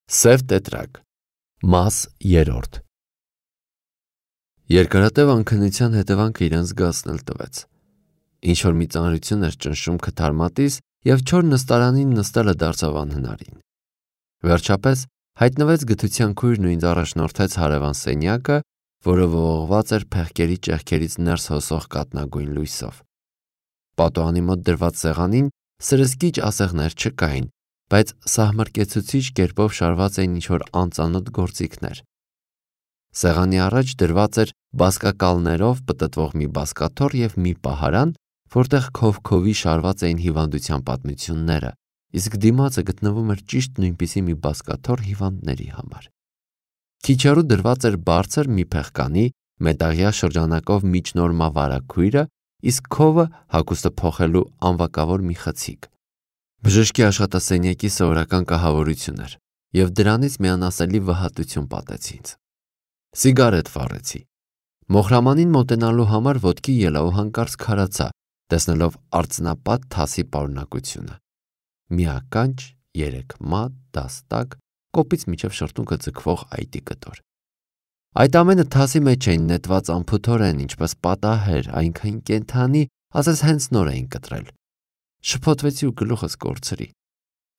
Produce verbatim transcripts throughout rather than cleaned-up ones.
Սև տետրակ, մաս երրորդ։ Երկարատև անքնության հետևանքը իրեն զգացնել տվեց։ Ինչ-որ մի ծանրություն էր ճնշում քթարմատիս և չոր նստարանին նստելը դարձավ անհնարին։ Վերջապես հայտնվեց գթության քույրն ու ինձ առաջնորդեց հարևան սենյակը, որը ողողված էր փեղկերի ճեղքերից ներս հոսող կաթնագույն լույսով։ Պատուհանի մոտ դրված սեղանին սրսկիչ ասեղներ չկային, բայց սահմռկեցուցիչ կերպով շարված էին ինչ-որ անծանոթ գործիքներ։ Սեղանի առաջ դրված էր բազկակալներով պտտվող մի բազկաթոռ և մի պահարան, որտեղ քովքովի շարված էին հիվանդության պատմությունները, իսկ դիմացը գտնվում էր ճիշտ նույնպիսի մի բազկաթոռ հիվանդների համար։ Քիչ հեռու դրված էր բարձր մի փեղկանի մետաղյա շրջանակով միջնորմա վարագույրը, իսկ քովը հագուստը փոխելու անվակավոր մի խցիկ։ Բժշկի աշխատասենյակի սովորական կահավորություն էր, և դրանից մի անասելի վհատություն պատեց ինձ։ Սիգարետ վառեցի։ Մոխրամանին մոտենալու համար ոտքի ելա ու հանկարծ քարացա, տեսնելով արծնապատ թասի պարունակությունը։ Մի ականջ, երեք մատ, դաստակ, կոպից մինչև շրթունքը ձգվող այտի կտոր։ Այդ ամենը թասի մեջ էին նետված անփութորեն, ինչպես պատահեր, այնքան կենդանի, ասես հենց նոր էին կտրել։ Շփոթվեցի ու գլուխս կորցրի։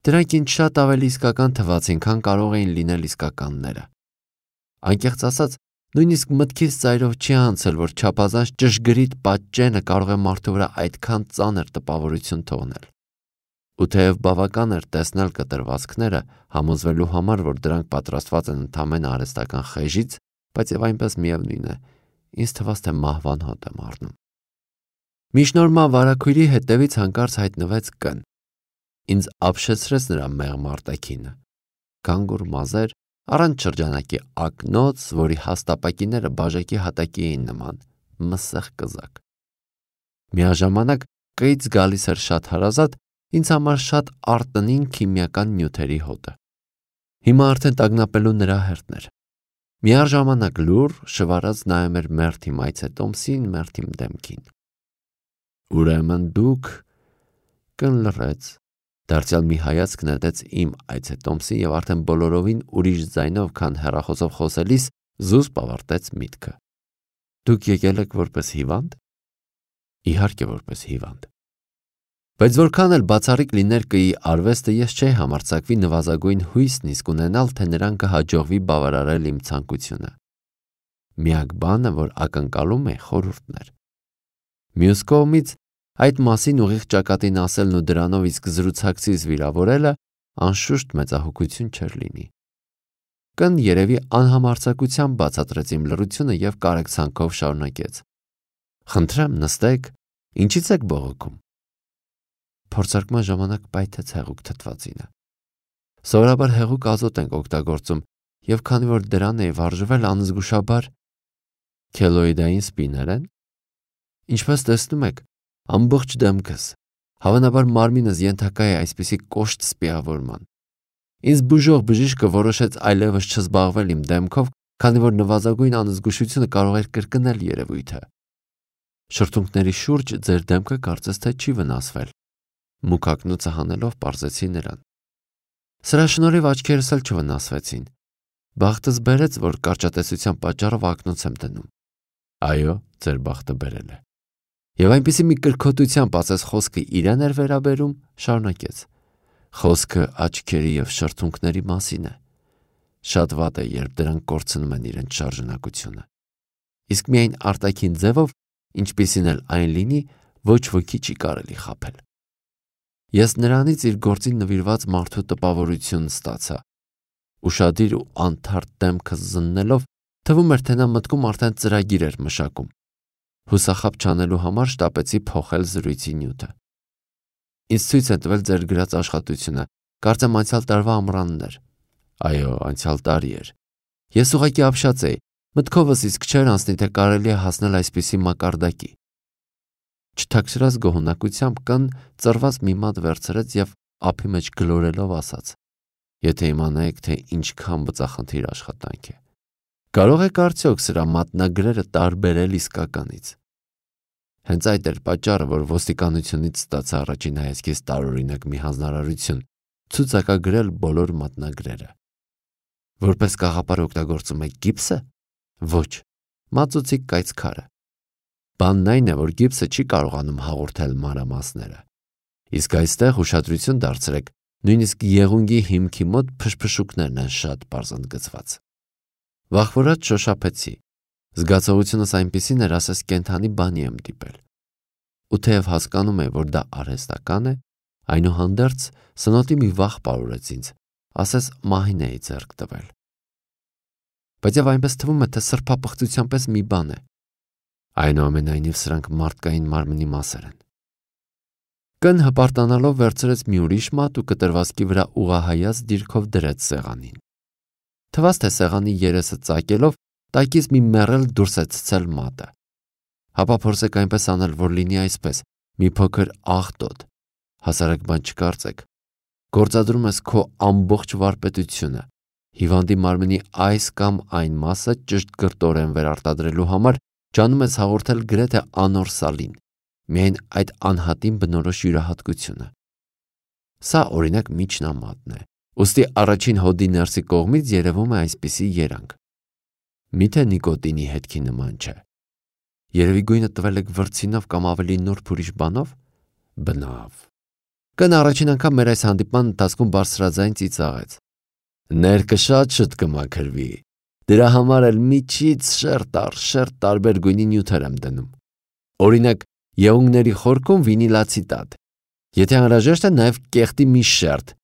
Դրանք ինձ շատ ավելի իսկական թվացին, քան կարող էին լինել իսկականները։ Անկեղծ ասած, նույնիսկ մտքից ծայրով չի անցել, որ չափազանց ճշգրիտ պատճենը կարող է մարդու վրա այդքան ծանր տպավորություն թողնել։ Ու թեև բավական էր տեսնել կտրվածքները, համոզվելու համար, որ դրանք պատրաստված են ընդամենը արհեստական խեժից, բայց եւ այնպես միևնույն է, ինձ թվաց, թե մահվան հոտ եմ առնում։ Միջնորմա վարագույրի հետևից հանկարծ հայտնվեց կն։ Ինձ ապշեցրեց նրա մեղմ արտաքինը։ Գանգուր մազեր, առանց շրջանակի ակնոց, որի հաստապակիները բաժակի հատակի էին նման, մսեղ կզակ։ Միաժամանակ կից գալիս էր շատ հարազատ, ինձ համար շատ արտտնին քիմիական նյութերի հոտը։ Հիմա արդեն տագնապելու նրա հերթն էր։ Միաժամանակ լուռ, շվարած նայում էր մերթիմ այցետոմսին, մերթիմ դեմքին։ Ուրեմն դուք… Կն լռեց, դարձյալ մի հայացք նետեց իմ այցետոմսին և արդեն բոլորովին ուրիշ ձայնով, քան հեռախոսով խոսելիս, զուսպ ավարտեց միտքը։ Դուք եկել եք որպես հիվանդ։ Իհարկե որպես հիվանդ։ Բայց որքան էլ բացառիկ լիներ կի արվեստը, ես չէի համարձակվի նվազագույն հույսն իսկ ունենալ, թե նրան կհաջողվի բավարարել իմ ցանկությունը։ Միակ բանը, որ ակնկալում էի, խորհուրդն էր։ Մյուս կողմից, այդ մասին ուղիղ ճակատին ասելն ու դրանով իսկ զրուցակցից վիրավորելը անշուշտ մեծահոգություն չէր լինի։ Կն երևի անհամարձակությամբ բացատրեց իմ լռությունը և կարեկցանքով շարունակեց. Խնդրեմ, նստեք, ինչից եք բողոքում։ Փորձարկման ժամանակ պայթեց հեղուկ թթվածինը։ Սովորաբար հեղուկ ազոտ ենք օգտագործում, և քանի որ դրան էի վարժվել, անզգուշաբար… Քելոիդային սպիներ են։ Ինչպես տեսնում եք, ամբողջ դեմքս, հավանաբար մարմինս ենթակա է այսպիսի կոշտ սպիավորման։ Ինձ բուժող բժիշկը որոշեց այլևս չզբաղվել իմ դեմքով, քանի որ նվազագույն անզգուշությունը կարող էր կրկնել երևույթը։ Շրթունքների շուրջ ձեր դեմքը կարծես թե չի վնասվել։ Մուգ ակնոցը հանելով պարզեցի նրան։ Սրա շնորհիվ աչքերս էլ չվնասվեցին։ Բախտս բերեց, որ կարճատեսության պատճառով ակնոց եմ դնում։ Այո, ձեր բախտը բերել է։ Եվ այնպիսի մի կրքոտությամբ ասես խոսքը իրեն էր վերաբերում, շարունակեց. Խոսքը աչքերի և շրթունքների մասին է։ Շատ վատ է, երբ դրանք կորցնում են իրենց շարժունակությունը։ Իսկ միայն արտաքին ձևով, ինչպիսին էլ այն լինի, ոչ ոքի չի կարելի խաբել։ Ես նրանից իր գործին նվիրված մարդու տպավորություն ստացա։ Ուշադիր ու անթարթ դեմքս զննելով, թվում էր, թե նա մտքում արդեն ծրագիր էր մշակում։ Հուսախաբ չանելու համար շտապեցի փոխել զրույցի նյութը։ Ինձ ցույց է տվել ձեր գրած աշխատությունը, կարծեմ անցյալ տարվա ամռանն էր։ Այո, անցյալ տարի էր։ Ես ուղղակի ապշած էի, մտքովս իսկ չէր անցնի, թե կարելի է հասնել այսպիսի մակարդակի։ Չթաքցրած գոհունակությամբ կն ծռված մի մատ վերցրեց և ափի մեջ գլորելով ասաց. Եթե իմանայիք, թե ինչքան բծախնդիր աշխատանք է։ Կարող եք արդյոք սրա մատնագրերը տարբերել իսկականից։ Հենց այդ էր պատճառը, որ ոստիկանությունից ստացա առաջին հայացքից տարօրինակ մի հանձնարարություն՝ ցուցակագրել բոլոր մատնագրերը։ Որպես կաղապար օգտագործում եք գիպսը։ Ոչ, մածուցիկ կայծ քարը։ Բանն այն է, որ գիպսը չի կարողանում հաղորդել մանրամասները։ Իսկ այստեղ ուշադրություն դարձրեք, նույնիսկ եղունգի հիմքի մոտ փշփշուկներն են շատ պարզ ընդգծված։ Վախվորած շոշափեցի։ Զգացողությունս այնպիսին էր, ասես կենդանի բանի եմ դիպել։ Ու թեև հասկանում եմ, որ դա արհեստական է, այնուհանդերձ սնոտի մի վախ պարուրեց ինձ, ասես մահին էի ձեռք տվել։ Բայց եւ այնպես թվում է, թե սրբապղծության պես մի բան է։ Այնուամենայնիվ սրանք մարդկային մարմնի մասեր են։ Կն հպարտանալով վերցրեց մի ուրիշ մատ ու կտրվածքի վրա ուղահայաց դիրքով դրեց սեղանին։ Թվաց, թե սեղանի երեսը ծակելով տակից մի մեռել դուրս է ցցել մատը։ Հապա փորձեք այնպես անել, որ լինի այսպես, մի փոքր աղտոտ։ Հասարակ բան չկարծեք։ Գործադրում ես քո ամբողջ վարպետությունը, հիվանդի մարմնի այս կամ այն մասը ճշգրտորեն վերարտադրելու համար ջանում ես հաղորդել գրեթե անոր սալին, միայն այդ անհատին բնորոշ յուրահատկությունը։ Սա օրինակ միջնամատն է, ուստի առաջին հոդի ներսի կողմից երևում է այսպիսի երանգ։ Միթե նիկոտինի հետքի նման չէ։ Երևի գույնը տվել եք վրձինով կամ ավելի նուրբ ուրիշ բանով։ Բնավ։ Կն առաջին անգամ մեր այս հանդիպման ընթացքում բարձրաձայն ծիծաղեց։ Ներքը շատ շուտ կմաքրվի։ Դրա համար էլ միջից շերտ առ շերտ տարբեր գույնի նյութեր եմ դնում։ Օրինակ, եղունգների խորքում վինիլացիտատ։ Եթե անհրաժեշտ է, նաև կեղտի մի շերտ։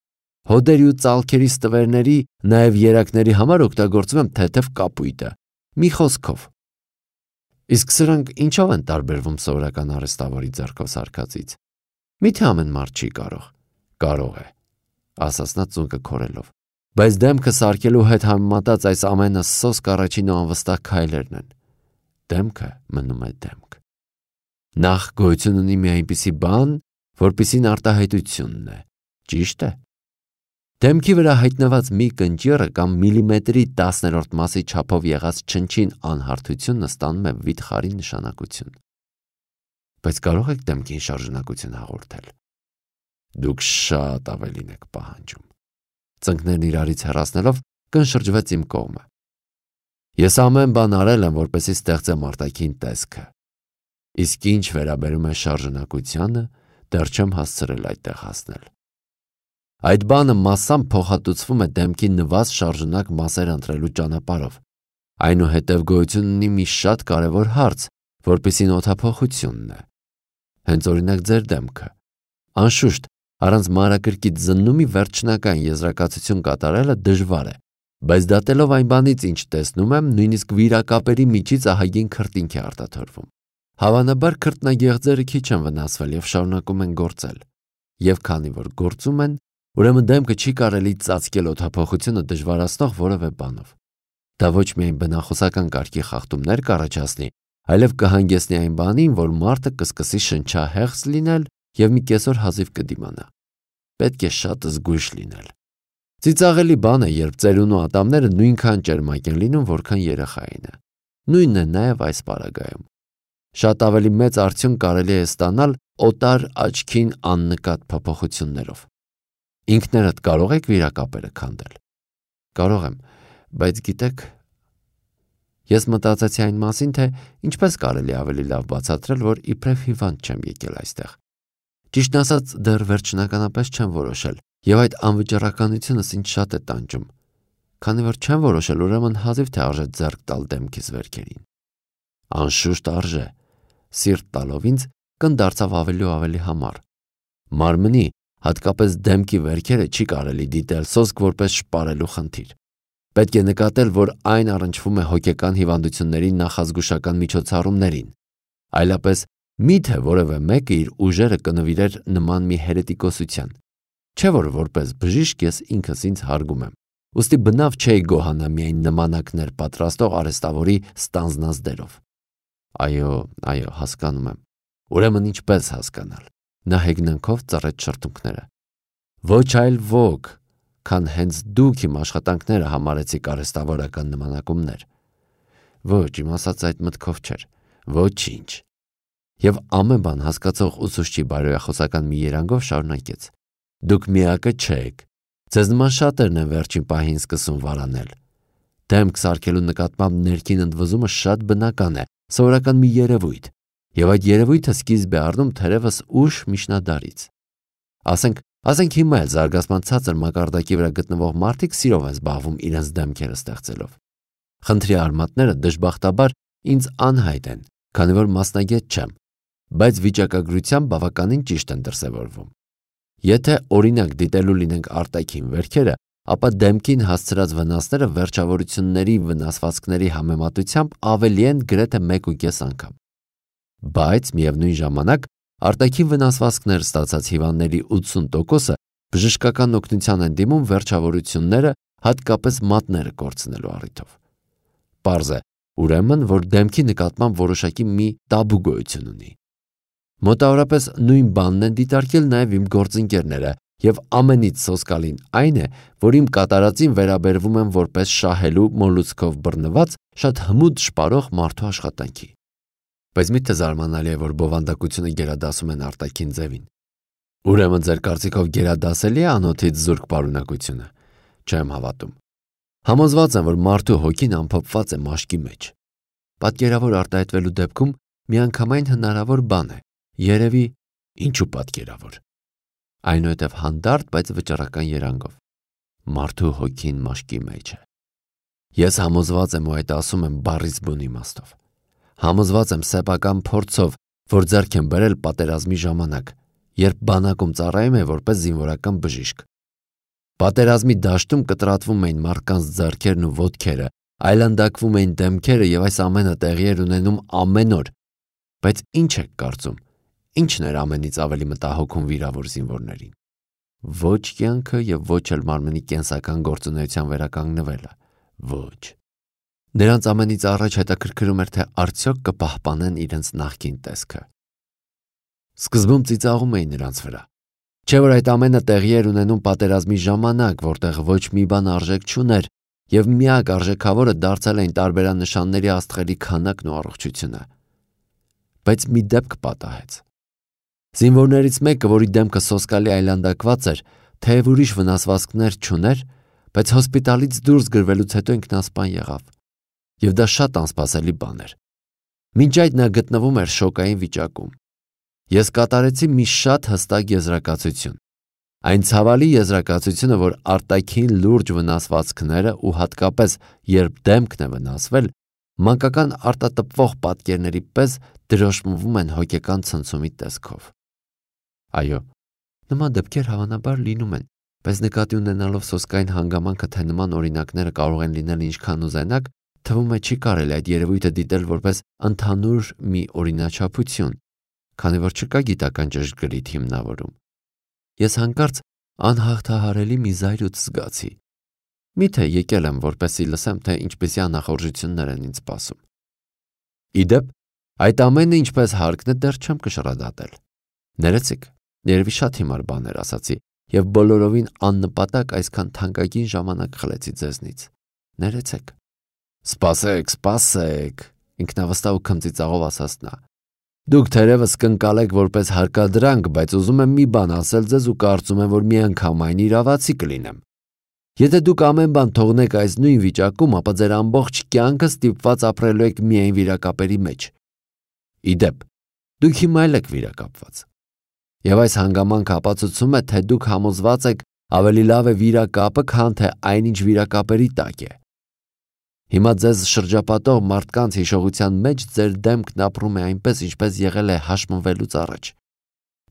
Հոդերի ու ծալքերի ստվերների, նաև երակների համար օգտագործում եմ թեթև կապույտը։ Մի խոսքով։ Իսկ սրանք ինչով են տարբերվում սովորական արհեստավորի ձեռքով սարքածից։ Միթե ամեն մարդ չի կարող։ Կարող է, ասաց նա ծունկը քորելով։ Բայց դեմքը սարքելու հետ համեմատած այս ամենը սոսկ առաջին ու անվստահ քայլերն են։ Դեմքը մնում է դեմք։ Նախ գոյություն ունի մի այնպիսի բան, որպիսին արտահայտությունն է։ Ճիշտ է։ Դեմքի վրա հայտնված մի կնճիռը կամ միլիմետրի տասներորդ մասի չափով եղած չնչին անհարթությունը ստանում է վիթխարի նշանակություն։ Բայց կարող եք դեմքին շարժունակություն հաղորդել։ Դուք շատ ավելին եք պահանջում։ Ծնկներն իրարից հեռացնելով կն շրջվեց իմ կողմը։ Ես ամեն բան արել եմ, որպեսզի ստեղծեմ արտաքին տեսքը։ Իսկ ինչ վերաբերում է շարժունակությանը, դեռ չեմ հասցրել այդտեղ հասնել։ Այդ բանը massամբ փոխհատուցվում է դեմքի նվազ շարժունակ մասեր ընտրելու ճանապարհով։ Այնուհետև գոյություն ունի մի շատ կարևոր հարց, որպիսին օդափոխությունն է։ Հենց օրինակ ձեր դեմքը։ Անշուշտ, առանց մանրակրկիտ զննումի վերջնական եզրակացություն կատարելը դժվար է, բայց դատելով այն բանից, ինչ տեսնում եմ, նույնիսկ վիրակապերի միջից ահագին քրտինք է արտաթորվում։ Հավանաբար քրտնագեղձերը քիչ են վնասվել եւ շարունակում են գործել։ Եվ քանի որ գործում են, ուրեմն դեմքը չի կարելի ծածկել օդափոխությունը դժվարացնող որևէ բանով։ Դա ոչ միայն բնախոսական կարգի խախտումներ կառաջացնի, այլև կհանգեցնի այն բանին, որ մարդը կսկսի շնչահեղձ լինել եւ մի կեսօր հազիվ կդիմանա։ Պետք է շատ զգույշ լինել։ Ծիծաղելի բան է, երբ ծերունու ատամները նույնքան ճերմակ են լինում, որքան երեխայինը։ Նույնն է նաեւ այս պարագայում։ Շատ ավելի մեծ արդյունք կարելի է ստանալ օտար աչքին աննկատ փոփոխություններով։ Ինքներդ կարող եք վիրակապերը քանդել։ Կարող եմ, բայց գիտեք, ես մտածեցի այն մասին, թե ինչպես կարելի ավելի լավ բացատրել, որ իբրև հիվանդ չեմ եկել այստեղ։ Ճիշտն ասած, դեռ վերջնականապես չեմ որոշել, եւ այդ անվճռականությունս ինձ շատ է տանջում։ Քանի որ չեմ որոշել, ուրեմն հազիվ թե արժե ձեռք տալ դեմքիս վերքերին։ Անշուշտ արժե։ Սիրտ տալով ինձ կն դարձավ ավելի ու ավելի համառ։ Մարմնի, հատկապես դեմքի վերքերը չի կարելի դիտել սոսկ որպես շպարելու խնդիր։ Պետք է նկատել, որ այն առնչվում է հոգեկան հիվանդությունների նախազգուշական միջոցառումներին։ Այլապես միթե որևէ մեկը իր ուժերը կնվիրեր նման մի հերետիկոսության։ Չէ որ որպես բժիշկ ես ինքս ինձ հարգում եմ։ Ուստի բնավ չէի գոհանա միայն նմանակներ պատրաստող արհեստավորի ստանձնած դերով։ Այո, այո, հասկանում եմ։ Ուրեմն ինչպես հասկանալ։ Նա հեգնանքով ծռեց շրթունքները։ Ոչ այլ ոք, քան հենց դուք իմ աշխատանքները համարեցիք արհեստավորական նմանակումներ։ Ոչ, իմ ասած այդ մտքով չէր։ Ոչինչ։ Եվ ամեն բան հասկացող ուսուցչի բարոյախոսական մի երանգով շարունակեց. Դուք միակը չեք։ Ձեզ նման շատերն են վերջին պահին սկսում վարանել։ դեմք սարքելու նկատմամբ ներքին ընդվզումը շատ բնական է, սովորական մի երևույթ, եւ այդ երևույթը սկիզբ է առնում թերևս ուշ միջնադարից։ Ասենք, ասենք հիմա էլ զարգացման ցածր մակարդակի վրա գտնվող մարդիկ սիրով են զբաղվում իրենց դեմքերը ստեղծելով։ Խնդրի արմատները դժբախտաբար ինձ անհայտ են, քանի որ մասնագետ չեմ, բայց վիճակագրությամբ բավականին ճիշտ են դրսևորվում։ Եթե օրինակ դիտելու լինենք արտաքին վերքերը, ապա դեմքին հասցրած վնասները վերջավորությունների վնասվածքների համեմատությամբ ավելի են գրեթե մեկ ու կես անգամ։ Բայց միևնույն ժամանակ արտաքին վնասվածքներ ստացած հիվանդների ութսուն տոկոսը բժշկական օգնության են դիմում վերջավորությունները, հատկապես մատները կորցնելու առիթով։ Պարզ է, ուրեմն, որ դեմքի նկատմամբ որոշակի մի տաբու գոյություն ունի։ Մոտավորապես նույն բանն են դիտարկել նաև իմ գործընկերները, եւ ամենից սոսկալին այն է, որ իմ կատարածին վերաբերվում են որպես շահելու մոլուցքով բռնված շատ հմուտ շպարող մարդու աշխատանքի։ Բայց միթե զարմանալի է, որ բովանդակությունը գերադասում են արտաքին ձևին։ Ուրեմն ձեր կարծիքով գերադասելի է անոթից զուրկ պարունակությունը։ Չեմ հավատում։ Համոզված եմ, որ մարդու հոգին ամփոփված է մաշկի մեջ։ Պատկերավոր արտահայտվելու դեպքում միանգամայն հնարավոր բան է, երևի ինչու պատկերավոր։ Այնուհետև հանդարտ, բայց վճռական երանգով։ Մարդու հոգին մաշկի մեջ է։ Ես համոզված եմ ու այդ ասում եմ բառից բուն իմաստով։ Համոզված եմ սեփական փորձով, որ ձեռք եմ բերել պատերազմի ժամանակ, երբ բանակում ծառայում եմ որպես զինվորական բժիշկ։ Պատերազմի դաշտում կտրատվում էին մարդկանց ձեռքերն ու ոտքերը, այլանդակվում էին դեմքերը եւ այս ամենը տեղի էր ունենում ամեն օր։ Բայց ինչ եք կարծում, ինչն էր ամենից ավելի մտահոգում վիրավոր զինվորներին։ Ոչ կյանքը եւ ոչ էլ մարմնի կենսական գործունեության վերականգնվելը։ Ոչ։ Նրանց ամենից առաջ հետաքրքրում էր, թե արդյոք կպահպանեն իրենց նախկին տեսքը։ Սկզբում ծիծաղում էին նրանց վրա։ Չէ՞ որ այդ ամենը տեղի էր ունենում պատերազմի ժամանակ, որտեղ ոչ մի բան արժեք չուներ, եւ միակ արժեքավորը դարձել էին տարբերանշանների աստղերի քանակն ու առողջությունը։ Բայց մի դեպք պատահեց։ Զինվորներից մեկը, որի դեմքը սոսկալի այլանդակված էր, թեև ուրիշ վնասվածքներ չուներ, բայց հոսպիտալից դուրս գրվելուց հետո ինքնասպան եղավ։ Եվ դա շատ անսպասելի բան էր։ Մինչ այդ նա գտնվում էր շոկային վիճակում։ Ես կատարեցի մի շատ հստակ եզրակացություն։ Այն ցավալի եզրակացությունը, որ արտաքին լուրջ վնասվածքները ու հատկապես երբ դեմքն է վնասվել, մանկական արտատպվող պատկերների պես դրոշմվում են հոգեկան ցնցումի տեսքով։ Այո, նման դեպքեր հավանաբար լինում են, բայց նկատի ունենալով սոսկային հանգամանքը, թե նման օրինակները կարող են լինել ինչքան ուզենակ, թվում է չի կարելի այդ երևույթը դիտել որպես ընդհանուր մի օրինաչափություն, քանի որ չկա գիտական ճշգրիտ հիմնավորում։ Ես հանկարծ անհաղթահարելի մի զայրույթ զգացի։ Միթե եկել եմ, որպեսզի լսեմ, թե ինչպիսի անախորժություններ են ինձ սպասում։ Իդեպ, այդ ամենը ինչպես հարկն է դեռ չեմ կշռադատել։ Ներեցեք, երևի շատ հիմար բաներ ասացի եւ բոլորովին աննպատակ այսքան թանկագին ժամանակ խլեցի ձեզնից։ Ներեցեք։ Սպասեք, սպասեք, ինքնավստահ ու քմծիծաղով ասաց նա։ Դուք թերևս կընկալեք որպես հարկադրանք, բայց ուզում եմ մի բան ասել ձեզ ու կարծում եմ, որ միանգամայն իրավացի կլինեմ։ Եթե դուք ամեն բան թողնեք այս նույն վիճակում, ապա ձեր ամբողջ կյանքը ստիպված ապրելու եք միայն վիրակապերի մեջ։ Իդեպ, դուք հիմա էլ եք վիրակապված։ Եվ այս հանգամանքը ապացուցում է, թե դուք համոզված եք ավելի լավ է վիրակապը, քան թե այնինչ վիրակապերի տակ է։ Հիմա ձեզ շրջապատող մարդկանց հիշողության մեջ ձեր դեմքն ապրում է այնպես, ինչպես եղել է հաշմվելուց առաջ։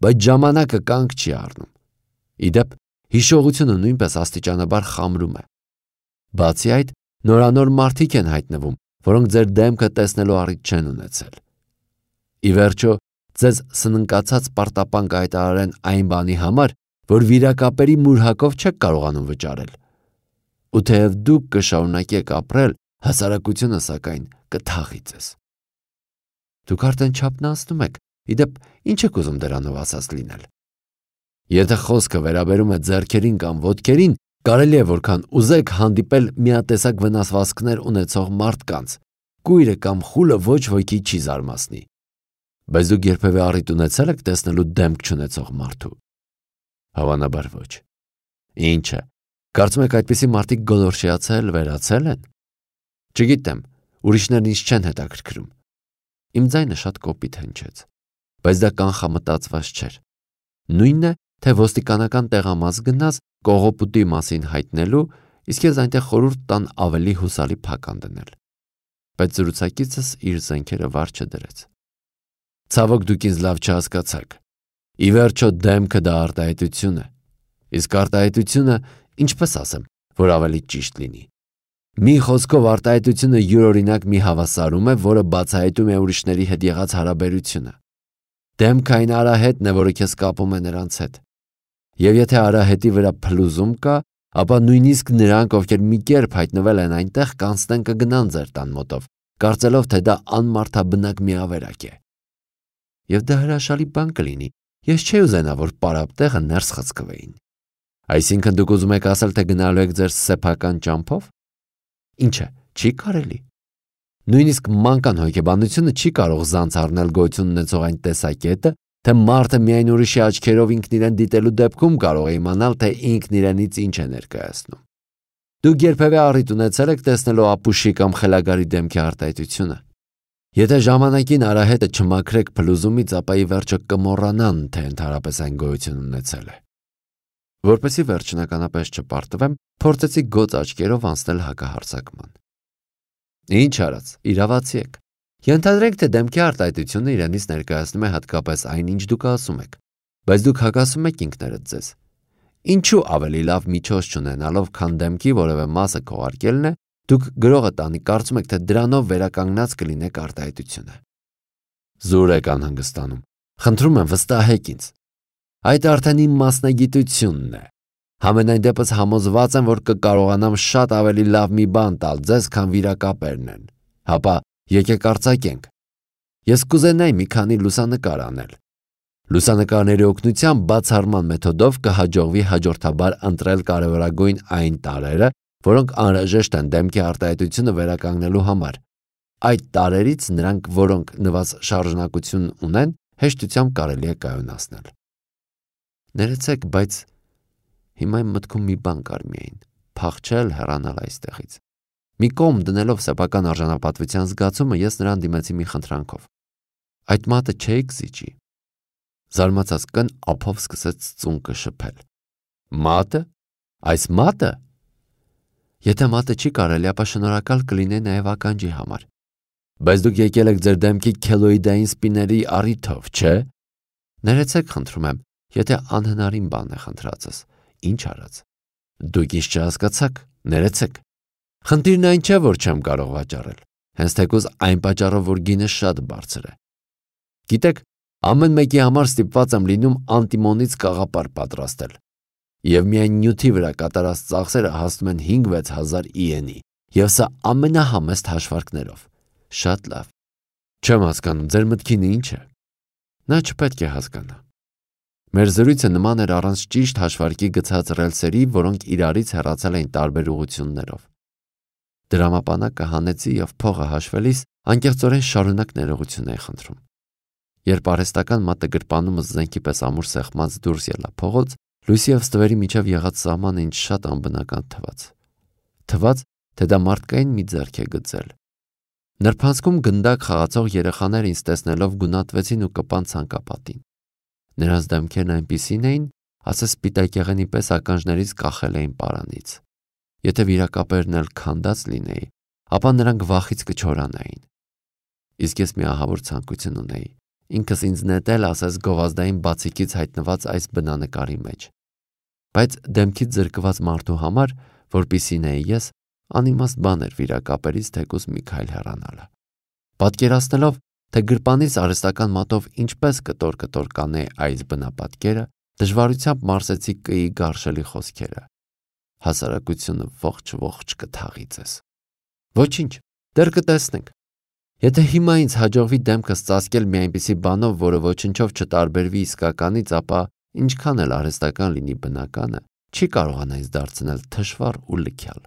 Բայց ժամանակը կանգ չի առնում։ Իդեպ, հիշողությունը նույնպես աստիճանաբար խամրում է։ Բացի այդ, նորանոր մարդիկ են հայտնվում, որոնք ձեր դեմքը տեսնելու առիթ չեն ունեցել։ Ի վերջո, ձեզ սննկացած պարտապան կհայտարարեն այն բանի համար, որ վիրակապերի մուրհակով չեք կարողանում վճարել։ Ու թեև դուք կշարունակեք ապրել, հասարակությունը սակայն կթաղի ձեզ։ Դուք արդեն չափն անցնում եք, իդեպ ինչ եք ուզում դրանով ասած լինել։ Եթե խոսքը վերաբերում է ձեռքերին կամ ոտքերին, կարելի է որքան ուզեք հանդիպել միատեսակ վնասվածքներ ունեցող մարդկանց, կույրը կամ խուլը ոչ ոքի չի զարմացնի։ Բայց դուք երբևէ առիթ ունեցել եք տեսնելու դեմք չունեցող մարդու։ Հավանաբար ոչ։ Ինչ է, կարծում եք այդպիսի մարդիկ գոլորշիացել, վերացել են։ Չգիտեմ, ուրիշներն ինձ չեն հետաքրքրում։ Իմ ձայնը շատ կոպիտ հնչեց, բայց դա կանխամտածված չէր։ Նույնն է, թե ոստիկանական տեղամաս գնաց կողոպուտի մասին հայտնելու, իսկ ես այնտեղ խորհուրդ տան ավելի հուսալի փական դնել։ Բայց զրուցակիցս իր զենքերը վար չդրեց։ Ցավոք դուք ինձ լավ չհասկացաք։ Ի վերջո դեմքը դա արտահայտություն է։ Իսկ արտահայտությունը, ինչպես ասեմ, որ ավելի ճիշտ լինի։ Մի խոսքով արտահայտությունը յուրօրինակ մի հավասարում է, որը բացահայտում է ուրիշների հետ եղած հարաբերությունը։ Դեմքը այն արահետն է, որը քեզ կապում է նրանց հետ։ Եվ եթե արահետի վրա փլուզում կա, ապա նույնիսկ նրանք, ովքեր մի կերպ հայտնվել են այնտեղ, կանցնեն կգնան ձեր տան մոտով, կարծելով, թե դա անմարդաբնակ միավերակ է։ Եվ դա հրաշալի բան կլինի։ Ես չէի ուզենա, որ պարապ տեղը ներս խցկվեին։ Այսինքն դուք ուզում եք ասել, թե գնալու եք ձեր սեփական ճամփով։ Ինչ է, չի կարելի։ Նույնիսկ մանկան հոգեբանությունը չի կարող զանց առնել գոյություն ունեցող այն տեսակետը, թե մարդը միայն ուրիշի աչքերով ինքն իրեն դիտելու դեպքում կարող է իմանալ, թե ինքն իրենից ինչ է ներկայացնում։ Դուք երբևէ առիթ ունեցել եք տեսնելու ապուշի կամ խելագարի դեմքի արտահայտությունը։ Եթե ժամանակին արահետը չմաքրեք փլուզումից, ապա ի վերջո կմոռանան, թե ընդհանրապես այն գոյություն ունեցել է։ Որպեսզի վերջնականապես չպարտվեմ, փորձեցի գոծ աչքերով անցնել հակահարձակման։ Ինչ արած, իրավացի եք։ Ենթադրենք, թե դեմքի արտահայտությունը իրենից ներկայացնում է հատկապես այն, ինչ դուք ասում եք, բայց դուք հակասում եք ինքներդ ձեզ։ Ինչու ավելի լավ միջոց չունենալով, քան դեմքի որևէ մասը քողարկելն է, դուք գրողը տանի կարծում եք, թե դրանով վերականգնած կլինեք արտահայտությունը։ Զուր եք անհանգստանում։ Խնդրում եմ, վստահեք ինձ։ Այդ արդեն իմ մասնագիտությունն է։ Համենայն դեպս համոզված եմ, որ կկարողանամ շատ ավելի լավ մի բան տալ ձեզ, քան վիրակապերն են։ Հապա եկեք արձակենք։ Ես կուզենայի մի քանի լուսանկար անել։ Լուսանկարների օգնությամբ բացառման մեթոդով կհաջողվի հաջորդաբար ընտրել կարևորագույն այն տարրերը, որոնք անհրաժեշտ են դեմքի արտահայտությունը վերականգնելու համար։ Այդ տարրերից նրանք, որոնք նվազ շարժունակություն ունեն, հեշտությամբ կարելի է կայունացնել։ Ներեցեք, բայց հիմա իմ մտքում մի բան կար միայն՝ փախչել, հեռանալ այստեղից։ Մի կողմ դնելով սեփական արժանապատվության զգացումը, ես նրան դիմեցի մի խնդրանքով։ Այդ մատը չէիք զիջի։ Զարմացած կն ափով սկսեց ծունկը շփել։ Մատը։ Այս մատը։ Եթե մատը չի կարելի, ապա շնորհակալ կլինեի նաև ականջի համար։ Բայց դուք եկել եք ձեր դեմքի քելոիդային սպիների առիթով, չէ՞։ Ներեցեք, խնդրում եմ, եթե անհնարին բան է խնդրածս, ինչ արած։ Դուք ինչ չհասկացաք, ներեցեք։ Խնդիրն այն չէ, որ չեմ կարող վաճառել, հենց թեկուզ այն պատճառով, որ գինը շատ բարձր է։ Գիտեք, ամեն մեկի համար ստիպված եմ լինում անտիմոնից կաղապար պատրաստել։ Եվ միայն նյութի վրա կատարած ծախսերը հասնում են հինգ-վեց հազար իենի, եւ սա ամենահամեստ հաշվարկներով։ Շատ լավ։ Չեմ հասկանում, ձեր մտքին ինչ է։ Նա չպետք է հասկանա։ Մեր զրույցը նման էր առանց ճիշտ հաշվարկի գցած ռելսերի, որոնք իրարից հեռացել էին տարբեր ուղություններով։ Դրամապանակը հանեցի եւ փողը հաշվելիս անկեղծորեն շարունակ ներողություն էի խնդրում։ Երբ արհեստական մատը գրպանումս զենքի պես ամուր սեղմած դուրս ելա փողոց, լույսի եւ ստվերի միջև եղած սահմանը ինձ շատ անբնական թվաց։ Թվաց, թե դա մարդկային մի ձեռք է գծել։ Նրբանցքում գնդակ խաղացող երեխաներ ինձ տեսնելով գունատվեցին ու կպան ցանկապատին։ Նրանց դեմքերն այնպիսին էին, ասես սպիտակեղենի պես ականջներից կախել էին պարանից։ Եթե վիրակապերն էլ քանդած լինեի, ապա նրանք վախից կչորանային։ Իսկ ես մի ահավոր ցանկություն ունեի, ինքս ինձ նետել, ասես գովազդային բացիկից հայտնված այս բնանկարի մեջ։ Բայց դեմքից զրկված մարդու համար, որպիսին էի ես, անիմաստ բան էր վիրակապերից թեկուզ մի քայլ հեռանալը։ Պատկերացնելով, թե գրպանից արհեստական մատով ինչպես կտոր-կտոր կանեի այս բնապատկերը, դժվարությամբ մարսեցի կի գարշելի խոսքերը։ Հասարակությունը ողջ-ողջ կթաղի ձեզ։ Ոչինչ, դեռ կտեսնենք։ Եթե հիմա ինձ հաջողվի դեմքս ծածկել մի այնպիսի բանով, որը ոչնչով չտարբերվի իսկականից, ապա ինչքան էլ արհեստական լինի բնականը, չի կարողանա ինձ դարձնել թշվառ ու լքյալ։